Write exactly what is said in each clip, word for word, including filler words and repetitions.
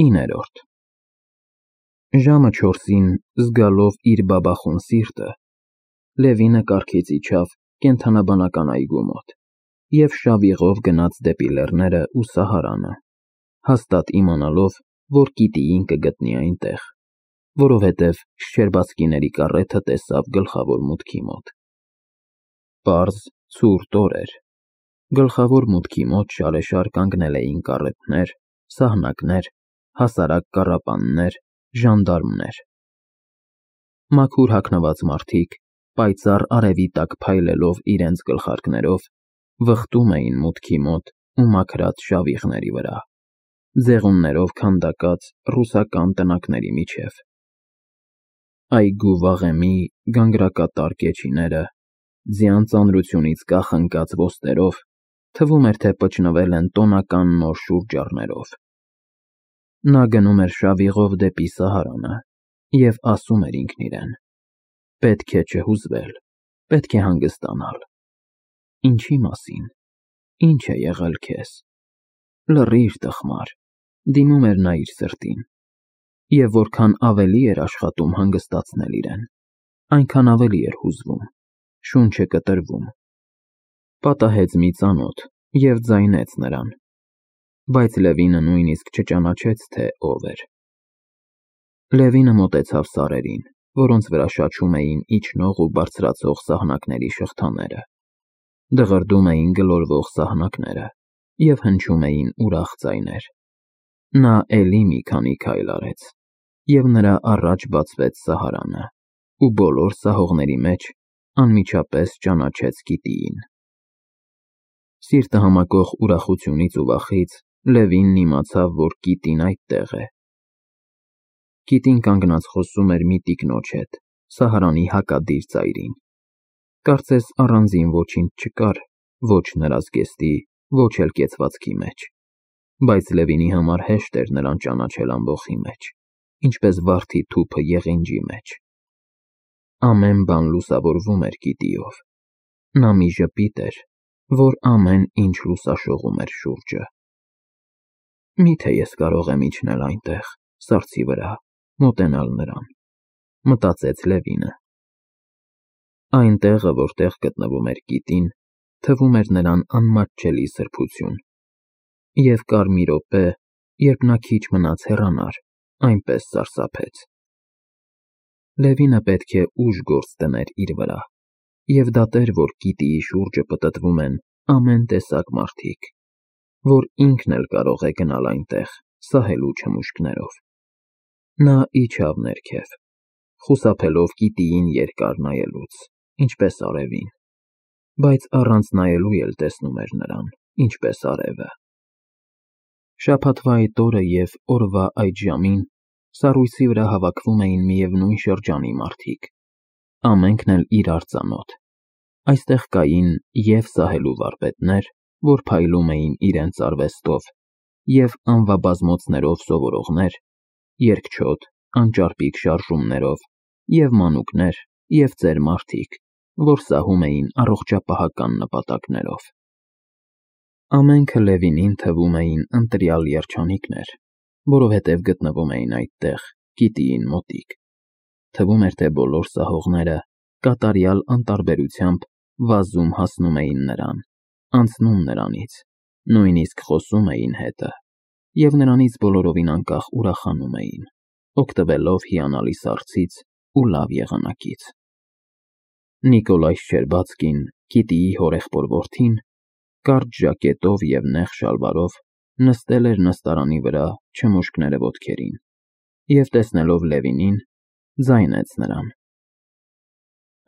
իններորդ Ժամը չորսին, զգալով իր բաբախուն սիրտը, Լևինը կառքից իջավ կենդանաբանական այգու մոտ և շավիղով գնաց դեպի լեռները ու Սահարանը, հաստատ իմանալով, որ գիտիին կգտնի այնտեղ, որովհետև շչերբածքիների կառեթը տեսավ գլխավոր մուտքի մոտ։ Պարզ, ցուրտ օր էր, գլխավոր մուտքի մոտ շարեշար կանգնել էին կառեթներ, սահնակներ, հասարակ կառապաններ, ժանդարմներ։ Մաքուր հագնված մարդիկ, պայծառ արևի տակ փայլելով իրենց գլխարկներով, վխտում էին մուտքի մոտ ու մաքրած շավիղների վրա, ձեղուններով քանդակած ռուսական տնակների միջև։ Այգու վաղեմի գանգրակատար կեչիները, ձյան ծանրությունից կախնկած ոստերով, թվում էր, թե պճնվել են տոնական նոր շուրջառներով։ Նա գնում էր շավիղով դեպի Սահարանը և ասում էր ինքն իրեն. պետք է չհուզվել, պետք է հանգստանալ։ Ինչի մասին, ինչ է եղել քեզ։ Լռիր, տխմար, դիմում էր նա իր սրտին, և որքան ավելի էր աշխատում հանգստացնել իրեն, այնքան ավելի էր հուզվում, շունչը կտրվում։ Պատահեց մի ծանոթ և ձայնեց նրան, բայց Լևինը նույնիսկ չճանաչեց, թե ով էր։ Լևինը մոտեցավ սարերին, որոնց վրա շաչում էին իջնող ու բարձրացող սահնակների շղթաները, դղրդում էին գլորվող սահնակները և հնչում էին ուրախ ձայներ։ Նա էլի մի քանի քայլ արեց, և նրա առաջ բացվեց Սահարանը, ու բոլոր սահողների մեջ անմիջապես ճանաչեց գիտիին։ Սիրտը համակող ուրախությունից ու վախից Լևինն իմացավ, որ գիտին այդտեղ է։ Գիտին կանգնած խոսում էր մի տիկնոջ հետ, Սահարանի հակադիր ծայրին։ Կարծես առանձին ոչինչ չկար ոչ նրա զգեստի, ոչ էլ կեցվածքի մեջ, բայց Լևինի համար հեշտ էր նրան ճանաչել ամբոխի մեջ, ինչպես վարդի թուփը եղինջի մեջ։ Ամեն բան լուսավորվում էր գիտիով։ Նա մի ժպիտ էր, որ ամեն ինչ լուսաշողում էր շուրջը։ Միթե ես կարող եմ իջնել այնտեղ, սառցի վրա, մոտենալ նրան, մտածեց Լևինը։ Այն տեղը, որտեղ գտնվում էր գիտին, թվում էր նրան անմատչելի սրբություն, և կար մի րոպե, երբ նա քիչ մնաց հեռանար, այնպես սարսափեց։ Լևինը պետք է ուժ գործ դներ իր վրա և դատեր, որ գիտիի շուրջը պտտվում են ամեն տեսակ մարդիկ, որ ինքն էլ կարող է գնալ այնտեղ, սահելու չմուշկներով։ Նա իջավ ներքև, խուսափելով գիտիին երկար նայելուց, ինչպես արևին, բայց առանց նայելու էլ տեսնում էր նրան, ինչպես արևը։ Շաբաթվա այդ օրը և օրվա այդ ժամին սառույցի վրա հավաքվում էին միևնույն շրջանի մարդիկ, ամենքն էլ իրար ծանոթ։ Այստեղ կային և սահելու վարպետներ, որ փայլում էին իրենց արվեստով, և անվաբազմոցներով սովորողներ, երկչոտ, անճարպիկ շարժումներով, և մանուկներ, և ծեր մարդիկ, որ սահում էին առողջապահական նպատակներով։ Ամենքը Լևինին թվում էին ընտրյալ երջանիկներ, որովհետև գտնվում էին այդտեղ, գիտիին մոտիկ։ Թվում էր, թե բոլոր սահողները կատարյալ անտարբերությամբ վազում հասնում էին նրան, անցնում նրանից, նույնիսկ խոսում էին հետը, և նրանից բոլորովին անկախ ուրախանում էին, օգտվելով հիանալի սառցից ու լավ եղանակից։ Նիկոլայ Շչերբածկին, գիտիի հորեղբոր որդին, կարճ ժակետով և նեղ շալվարով նստել էր նստարանի վրա չմուշկները ոտքերին և, տեսնելով Լևինին, ձայնեց նրան.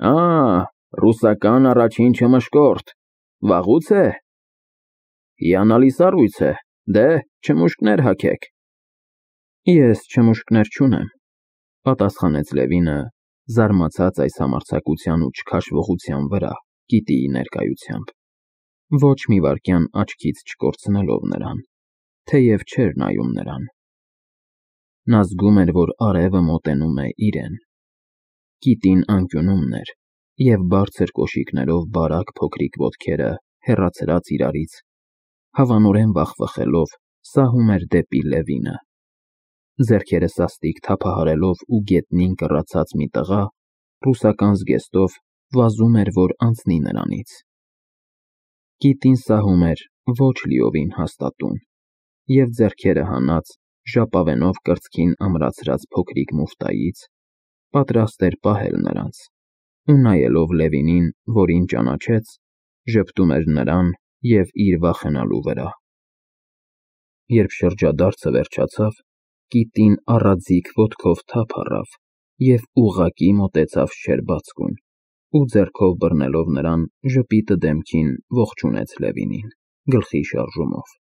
Ա, ռուսական առաջին չմշկորդ, վաղուց է։ Հիանալի սառույց է, դե, չմուշկներ հագեք։ Ես չմուշկներ չունեմ, պատասխանեց Լևինը, զարմացած այս համարձակության ու չքաշվողության վրա գիտիի ներկայությամբ, ոչ մի վայրկյան աչքից չկորցնելով նրան, թեև չէր նայում նրան։ Նա զգում էր, որ արևը մոտենում է իրեն։ Գիտին անկյունումն էր, և բարձր կոշիկներով բարակ փոքրիկ ոտքերը, հեռացրած իրարից, հավանորեն վախվխելով, սահում էր դեպի Լևինը, Ձեռքերը սաստիկ թափահարելով ու գետնին կռացած մի տղա ռուսական զգեստով վազում էր, որ անցնի նրանից։ Կիտին սահում էր ոչ լիովին հաստատուն, և ձեռքերը հանած, ժապավենով կրծքին ամրացրած փոքրիկ մուֆտայից, պատրաստ էր պահել նրանց, ու նայելով Լևինին, որին ճանաչեց, ժպտում էր նրան և իր վախենալու վրա։ Երբ շրջադարձը վերջացավ, կիտին առաձիգ ոտքով թափ առավ և ուղղակի մոտեցավ Շչերբացկուն ու ձեռքով բռնելով նրան ժպիտը դեմքին ողջունեց Լևինին, գլխի շարժումով։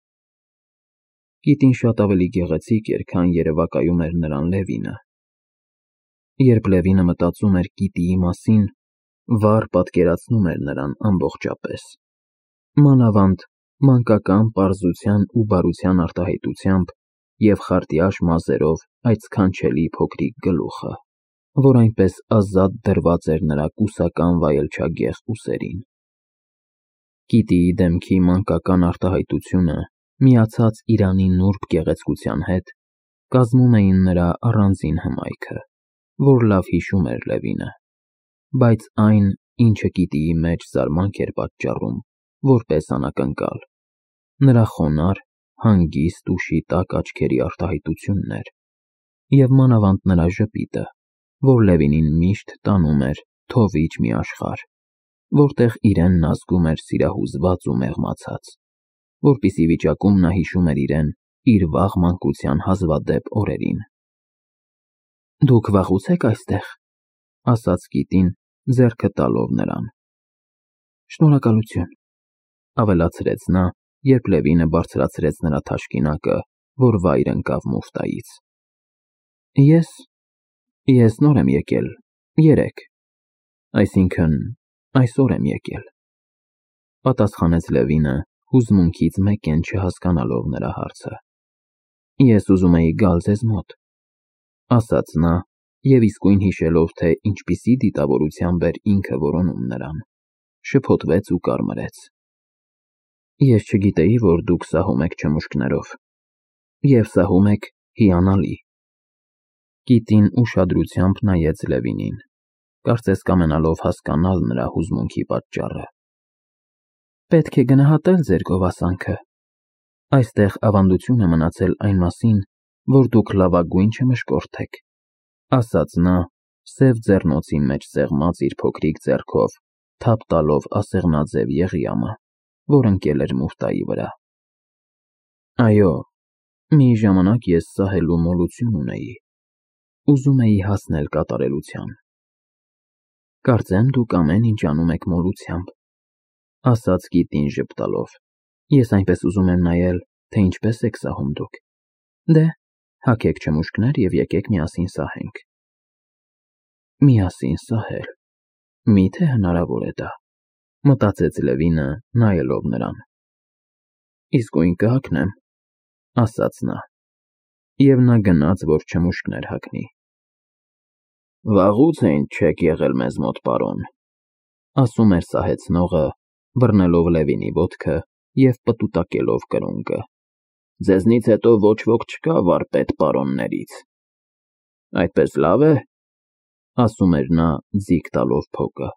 Կիտին շատ ավելի գեղեցիկ էր, քան երևակայում էր նրան Լևինը։ Երբ Լևինը մտածում էր կիտիի մասին, վառ պատկերացնում էր նրան ամբողջապես, մանավանդ մանկական պարզության ու բարության արտահայտությամբ և խարտյաշ մազերով այդ սքանչելի փոքրիկ գլուխը, որ այնպես ազատ դրված էր նրա կուսական վայելչագեղ ուսերին։ Կիտիի դեմքի մանկական արտահայտությունը միացած Իրանի նուրբ գեղեցկության հետ կազմում էին նրա առանձին հմայքը, որ լավ հիշում էր Լևինը, բայց այն, ինչը կիտիի մեջ զարմանք էր պատճառում, որպես անակնկալ, նրա խոնարհ, հանգիստ ու շիտակ աչքերի արտահայտությունն էր, և մանավանդ նրա ժպիտը, որ Լևինին միշտ տանում էր թովիչ մի աշխարհ, որտեղ իրեն նա զգում էր սիրահուզված ու մեղմացած, որպիսի վիճակում նա հիշում էր իրեն իր վաղ մանկության հազվադեպ օրերին։ «Դուք վաղուց եք այստեղ», ֊ ասաց կիտին, ձեռքը տալով նրան։ «Շնորհակալություն», ֊ ավելացրեց նա, երբ Լևինը բարձրացրեց նրա թաշկինակը, որ վայր ընկավ մուֆտայից։ Ես… ես նոր եմ եկել, երեկ, այսինքն՝ այսօր եմ եկել, ֊ պատասխանեց Լևինը, հուզմունքից մեկեն չհասկանալով նրա հարցը։ Ես ուզում էի գալ ձեզ մոտ, ֊ ասաց նա, և իսկույն հիշելով, թե ինչպիսի դիտավորությամբ էր ինքը որոնում նրան, շփոթվեց ու կարմրեց։ Ես չգիտեի, որ դուք սահում եք չմուշկներով, և սահում եք հիանալի։ Կիտին ուշադրությամբ նայեց Լևինին, կարծես կամենալով հասկանալ նրա հուզմունքի պատճառը։ Պետք է գնահատել ձեր գովասանքը։ Այստեղ ավանդություն է մնացել այն մասին, որ դուք լավագույն չմշկորդ եք, ֊ ասաց նա, սև ձեռնոցի մեջ սեղմած իր փոքրիկ ձեռքով թափ տալով ասեղնաձև եղյամը, որ ընկել էր մուֆտայի վրա։ Այո, մի ժամանակ ես սահելու մոլություն ունեի, ուզում էի հասնել կատարելության։ Կարծեմ դուք ամեն ինչ անում եք մոլությամբ, ֊ ասաց կիտին ժպտալով։ Ես այնպես ուզում եմ նայել, թե ինչպես եք սահում դուք։ Դե, հագեք չմուշկներ և եկեք միասին սահենք։ Միասին սահել, մի՞թե հնարավոր է դա, ֊ մտածեց Լևինը, նայելով նրան։ Իսկույն կհագնեմ, ֊ ասաց նա, և նա գնաց, որ չմուշկներ հագնի։ Վաղուց է ինչ չեք եղել մեզ մոտ, պարոն, ֊ ասում էր սահեցնողը, բռնելով Լևինի ոտքը և պտուտակելով կրունկը։ Ձեզնից հետո ոչ ոք չկա վարպետ պարոններից։ Այդպես լավ է, ֊ ասում էր նա, ձիգ տալով փոկը։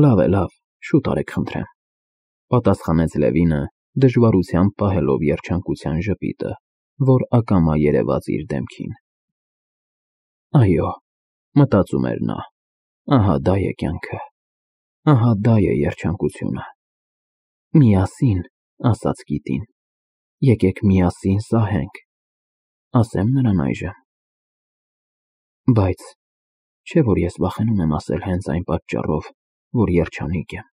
Լավ է, լավ, շուտ արեք խնդրեմ, ֊ պատասխանեց Լևինը, դժվարությամբ պահելով երջանկության ժպիտը, որ ակամա երևաց իր դեմքին։ Այո, մտածում էր նա, ահա դա է կյանքը, ահա դա է երջանկությունը։ Միասին, ֊ ասաց կիտին, ֊ եկեք միասին սահենք, ասեմ նրան այժմ։ Բայց չէ՞ որ ես վախենում եմ ասել հենց այն պատճառով, որ երջանիկ եմ,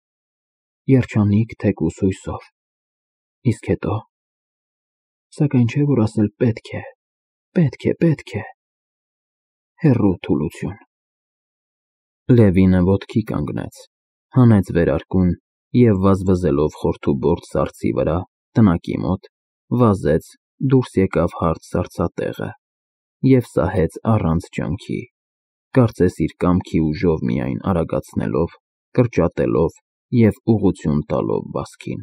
երջանիկ թեկուզ հույսով, իսկ հետո… Սակայն չէ՞ որ ասել պետք է, պետք է, պետք է… Հեռու թուլություն։ Լևինը ոտքի կանգնեց, հանեց վերարկուն և վազվզելով խորթուբորդ սառցի վրա, տնակի մոտ, վազեց, դուրս եկավ հարթ սառցատեղը և սահեց առանց ջանքի, կարծես իր կամքի ուժով միայն արագացնելով, կրճատելով և ուղղություն տալով վազքին։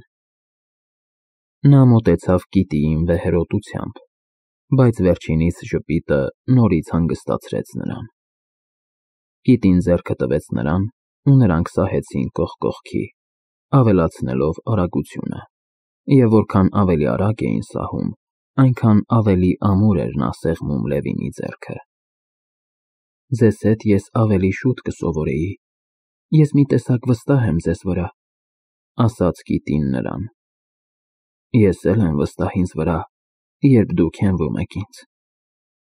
Նա մոտեցավ կիտիին վեհերոտությամբ, բայց վերջինիս ժպիտը նորից հանգստացրեց նրան։ Կիտին ձեռքը տվեց նրան, ու նրանք սահեցին կողք կողքի, ավելացնելով արագությունը, և որքան ավելի արագ էին սահում, այնքան ավելի ամուր էր նա սեղմում Լևինի ձեռքը։ Ձեզ հետ ես ավելի շուտ կսովորեի, ես մի տեսակ վստահ եմ ձեզ վրա, ասաց կիտին նրան։ Ես էլ եմ վստահ ինձ վրա, երբ դուք հենվում եք ինձ,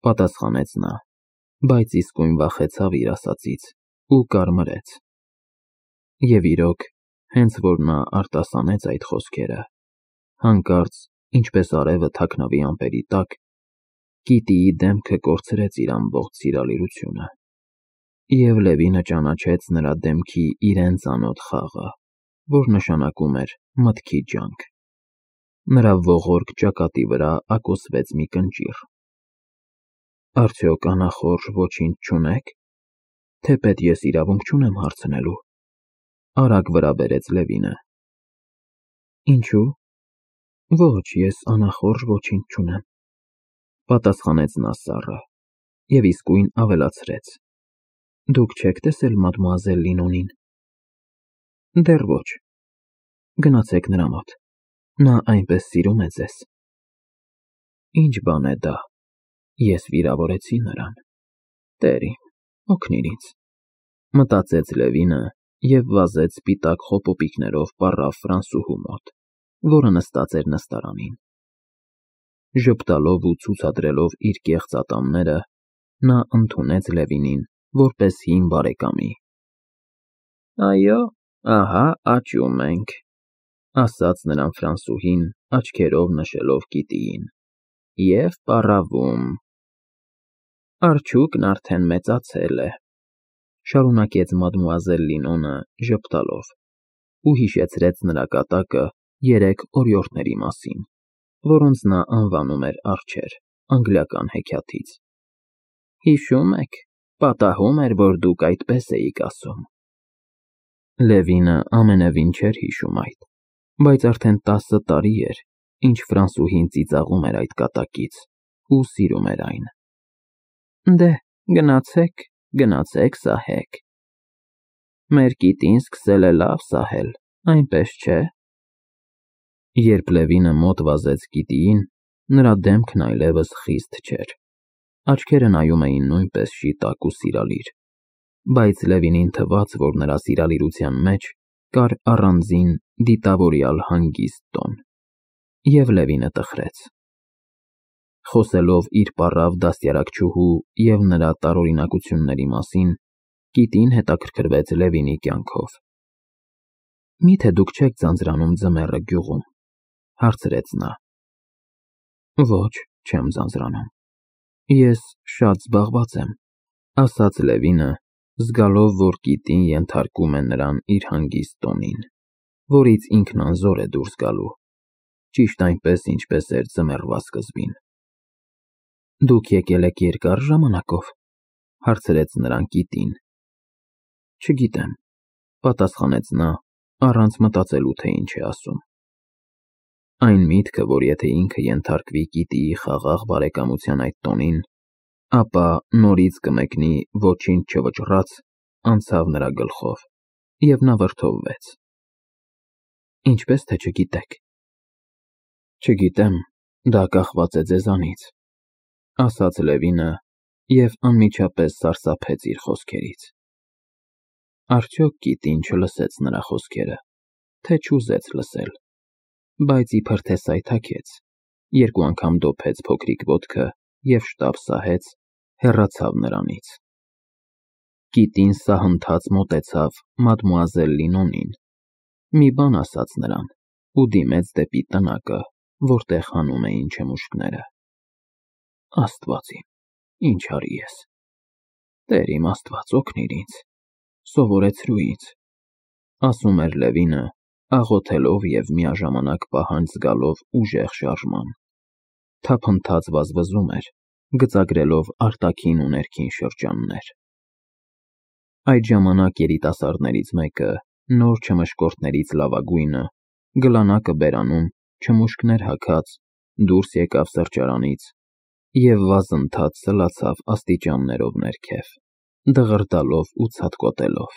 պատասխանեց նա, բայց իսկույն վախեցավ իր ասածից ու կարմրեց։ Եվ իրոք, հենց որ նա արտասանեց այդ խոսքերը, հանկարծ, ինչպես արևը թաքնավի ամպերի տակ, Կիտիի դեմքը կորցրեց իր ամբողջ սիրալիրությունը, և Լևինը ճանաչեց նրա դեմքի իրեն ծանոթ խաղը, որ նշանակում էր մտքի ջանք։ Նրա ողորկ ճակատի վրա ակոսվեց մի կնճիռ։ Արդյոք անախորժ ոչինչ չունե՞ք, թեպետ ես իրավունք չունեմ հարցնելու, արագ վրա բերեց Լևինը։ Ինչու՞։ Ոչ, ես անախորժ ոչինչ չունեմ, պատասխանեց նա սառը, և իսկույն ավելացրեց. Դուք չեք տեսել մադմուազել Լինոնին։ Դեռ ոչ։ Գնացեք նրա մոտ, նա այնպես սիրում է ձեզ։ Ինչ բան է դա, ես վիրավորեցի նրան, Տեր իմ, օգնիր ինձ, մտածեց Լևինը և վազեց սպիտակ խոպոպիկներով պառավ Ֆրանսուհու մոտ, որը նստած էր նստարանին։ Ժպտալով ու ցուցադրելով իր կեղծ ատամները, նա ընդունեց Լևինին որպես հին բարեկամի։ Այո, ահա աճում ենք, ասաց նրան Ֆրանսուհին, աչքերով նշելով Կիտիին, և պառավում։ Արջուկն արդեն մեծացել է, շարունակեց մադմուազել Լինոնը ժպտալով, ու հիշեցրեց նրա կատակը երեք օրիորդների մասին, որոնց նա անվանում էր արջեր, անգլիական հեքիաթից։ Հիշում եք, պատահում էր, որ դուք այդպես էիք ասում։ Լևինը ամենևին չէր հիշում այդ, բայց արդեն տասը տարի էր, ինչ Ֆրանսուհին ծիծաղում էր այդ կատակից ու սիրում էր այն։ Դե, գնացեք, գնացեք սահեք։ Մեր Կիտին սկսել է լավ սահել, այնպես չէ։ Երբ Լևինը մոտ վազեց Կիտիին, նրա դեմքն այլևս խիստ չէր, աչքերը նայում էին նույնպես շիտակ ու սիրալիր, բայց Լևինին թվաց, որ նրա սիրալիրության մեջ կար առանձին դիտավորյալ հանգիստ տոն, և Լևինը տխրեց։ Խոսելով իր պառավ դաստիարակչուհու և նրա տարօրինակությունների մասին, Կիտին հետաքրքրվեց Լևինի կյանքով։ Միթե դուք չեք ձանձրանում ձմեռը գյուղում, հարցրեց նա։ Ոչ, չեմ ձանձրանում, ես շատ զբաղված եմ, ասաց Լևինը, զգալով, որ Կիտին ենթարկում է նրան իր հանգիստ տոնին, որից ինքն անզոր է դուրս գալու, ճիշտ այնպես, ինչպես էր ձմեռվա սկզբին։ Դուք եկել եք երկար ժամանակով, հարցրեց նրան Կիտին։ Չգիտեմ, պատասխանեց նա, առանց մտածելու, թե ինչ է ասում։ Այն միտքը, որ եթե ինքը ենթարկվի Կիտիի խաղաղ բարեկամության այդ տոնին, ապա նորից կմեկնի ոչինչ չվճռած, անցավ նրա գլխով, և նա վրդովվեց։ Ինչպես թե չգիտեք։ Չգիտեմ, դա կախված է ձեզանից, ասաց Լևինը և անմիջապես սարսափեց իր խոսքերից։ Արդյոք Կիտին չլսեց նրա խոսքերը, թե չուզեց լսել, բայց իբր թե սայթաքեց, երկու անգամ դոփեց փոքրիկ ոտքը և շտապ սահեց, հեռացավ նրանից։ Կիտին սահընթաց մոտեցավ մադմուազել Լինոնին, մի բան ասաց նրան ու դիմեց դեպի տնակը, որտեղ հանում էին չմուշկները։ Աստված իմ, ինչ արի ես։ Տեր իմ Աստված, օգնիր ինձ, սովորեցրու ինձ, ասում էր Լևինը, աղոթելով և միաժամանակ պահանջ զգալով ուժեղ շարժման։ Թափընթաց վազվզում էր, գծագրելով արտաքին ու ներքին շրջաններ։ Այդ ժամանակ երիտասարդներից մեկը, նոր չմշկորդներից լավագույնը, գլանակը բերանում, չմուշկներ հագած, դուրս եկավ սրճարանից և վազընթաց սլացավ աստիճաններով ներքև, դղրդալով ու ցատկոտելով։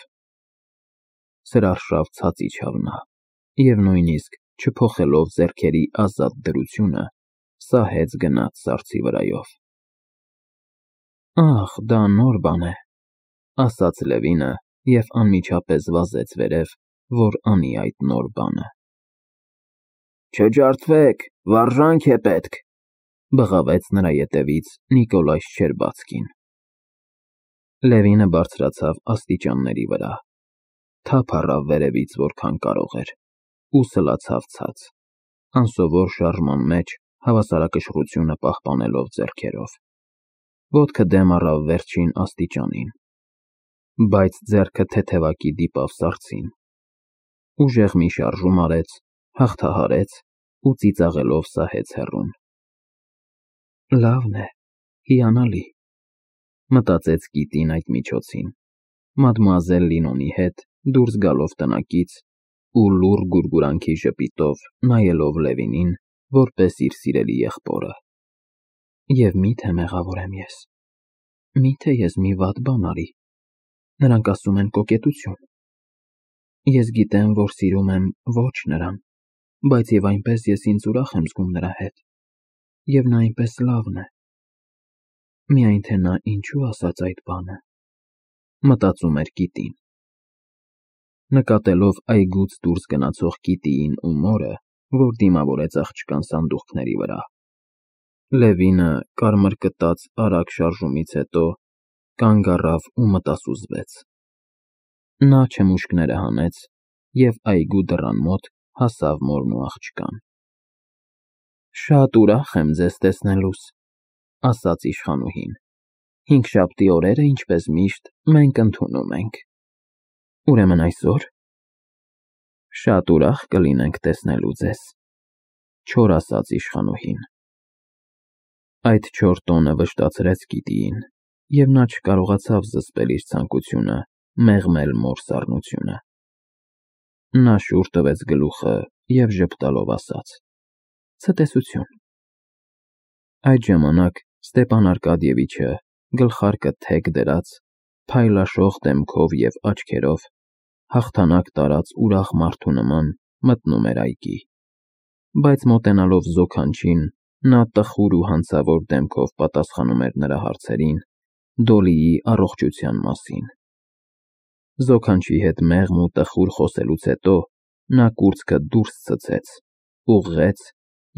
Սրարշավ ցած իջավ նա, և նույնիսկ չփոխելով ձեռքերի ազատ դրությունը, սահեց գնաց սառցի վրայով։ Ախ, դա նոր բան է, ասաց Լևինը և անմիջապես վազեց վերև, որ անի այդ նոր բանը։ Չջարդվեք, վարժանք է պետք, բղավեց նրա ետևից Նիկոլայ Շչերբացկին։ Լևինը բարձրացավ աստիճանների վրա, թափ առավ վերևից որքան կարող էր ու սլացավ ցած, անսովոր շարժման մեջ հավասարակշռությունը պահպանելով ձեռքերով։ Ոտքը դեմ առավ վերջին աստիճանին, բայց ձեռքը թեթևակի դիպավ սառցին, ուժեղ մի շարժում արեց, հաղթահարեց ու ծիծաղելով սահեց հեռուն։ Լավն է, հիանալի, մտածեց Կիտին այդ միջոցին, մադմուազել Լինոնի հետ դուրս գալով տնակից ու լուռ գուրգուրանքի ժպիտով նայելով Լևինին, որպես իր սիրելի եղբորը։ Եվ մի՞թե մեղավոր եմ ես, մի՞թե ես մի վատ բան արի, նրանք ասում են կոկետություն։ Ես գիտեմ, որ սիրում եմ ոչ նրան, բայց և այնպես ես ինձ ուրախ եմ զգում նրա հետ, և նա այնպես լավն է։ Միայն թե նա ինչու ասաց այդ բանը, մտածում էր Կիտին։ Նկատելով այգուց դուրս գնացող Կիտիին ու մորը, որ դիմավորեց աղջկան սանդուղքների վրա, Լևինը կարմր կտած արագ շարժումից հետո կանգ առավ ու մտասուզվեց։ Նա չմուշկները հանեց և այգու դռան մոտ հասավ մորն ու աղջկան։ Շատ ուրախ եմ ձեզ տեսնելուս, ասաց իշխանուհին, հինգշաբթի օրերը, ինչպես միշտ, մենք ընդունում ենք։ Ուրեմն այսօր։ Շատ ուրախ կլինենք տեսնելու ձեզ, չոր ասաց իշխանուհին։ Այդ չոր տոնը վշտացրեց Կիտիին, և նա չկարողացավ զսպել իր ցանկությունը մեղմել մոր սառնությունը։ Նա շուռ տվեց գլուխը և ժպտալով ասաց. Ցտեսություն։ Այդ ժամանակ Ստեփան Արկադիևիչը, գլխարկը թեք դրած, փայլաշող դեմքով և աչքերով, հաղթանակ տարած ուրախ մարդու նման մտնում էր այգի, բայց մոտենալով զոքանչին, նա տխուր ու հանցավոր դեմքով պատասխանում էր նրա հարցերին Դոլիի առողջության մասին։ Զոքանչի հետ մեղմ ու տխուր խոսելուց հետո նա կուրծքը դուրս ցցեց, ուղղեց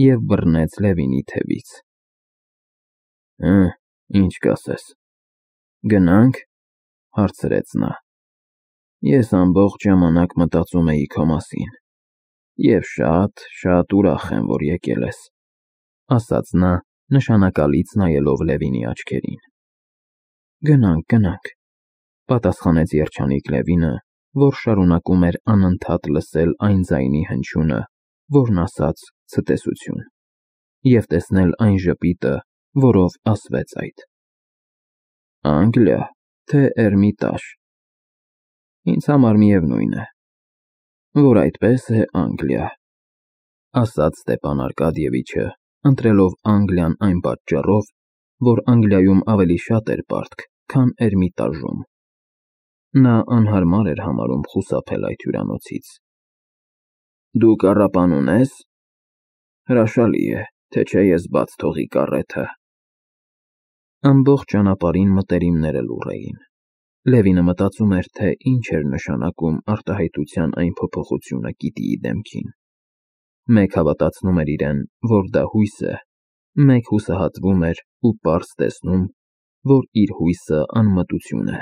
և բռնեց Լևինի թևից։ Հը, ինչ կասես, գնա՞նք, հարցրեց նա։ Ես ամբողջ ժամանակ մտածում էի քո մասին և շատ, շատ ուրախ եմ, որ եկել ես, ասաց նա, նշանակալից նայելով Լևինի աչքերին։ Գնանք, գնանք, պատասխանեց երջանիկ Լևինը, որ շարունակում էր անընդհատ լսել այն ձայնի հնչյունը, որն ասաց ցտեսություն, և տեսնել այն ժպիտը, որով ասվեց այդ։ Անգլիա, թե Էրմիտաժ։ Ինձ համար միևնույն է, որ այդպես է Անգլիա, ասաց Ստեփան Արկադիևիչը, ընտրելով Անգլիան այն պատճառով, որ Անգլիայում ավելի շատ էր պարտք, քան Էրմիտաժում։ Նա անհարմար էր համարում խուսափել այդ հյուրանոցից։ Դու կառապան ունե՞ս։ Հրաշալի է, թե չէ ես բաց թողի կառեթը։ Ամբողջ ճանապարհին մտերիմները լուռ էին։ Լևինը մտածում էր, թե ինչ էր նշանակում արտահայտության այն փոփոխությունը Կիտիի դեմքին։ Մեկ հավատացնում էր իրեն, որ դա հույս է, մեկ հուսահատվում էր ու պարզ տեսնում, որ իր հույսը անմտություն է,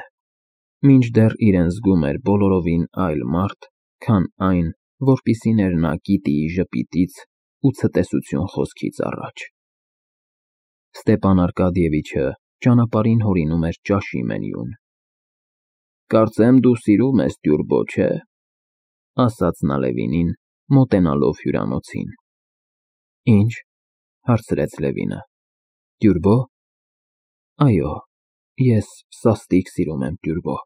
մինչդեռ իրեն զգում էր բոլորովին այլ մարդ, քան այն, որպիսին էր նա Կիտիի ժպիտից ու ցտեսություն խոսքից առաջ։ Ստեփան Արկադիևիչը ճանապարհին հորինում էր ճաշի մենյուն։ Կարծեմ դու սիրում ես տյուրբո, չէ՞, ասաց նա Լևինին, մոտենալով հյուրանոցին։ Ինչ, հարցրեց Լևինը, տյուրբո։ Այո, ես սաստիկ սիրում եմ տյուրբո։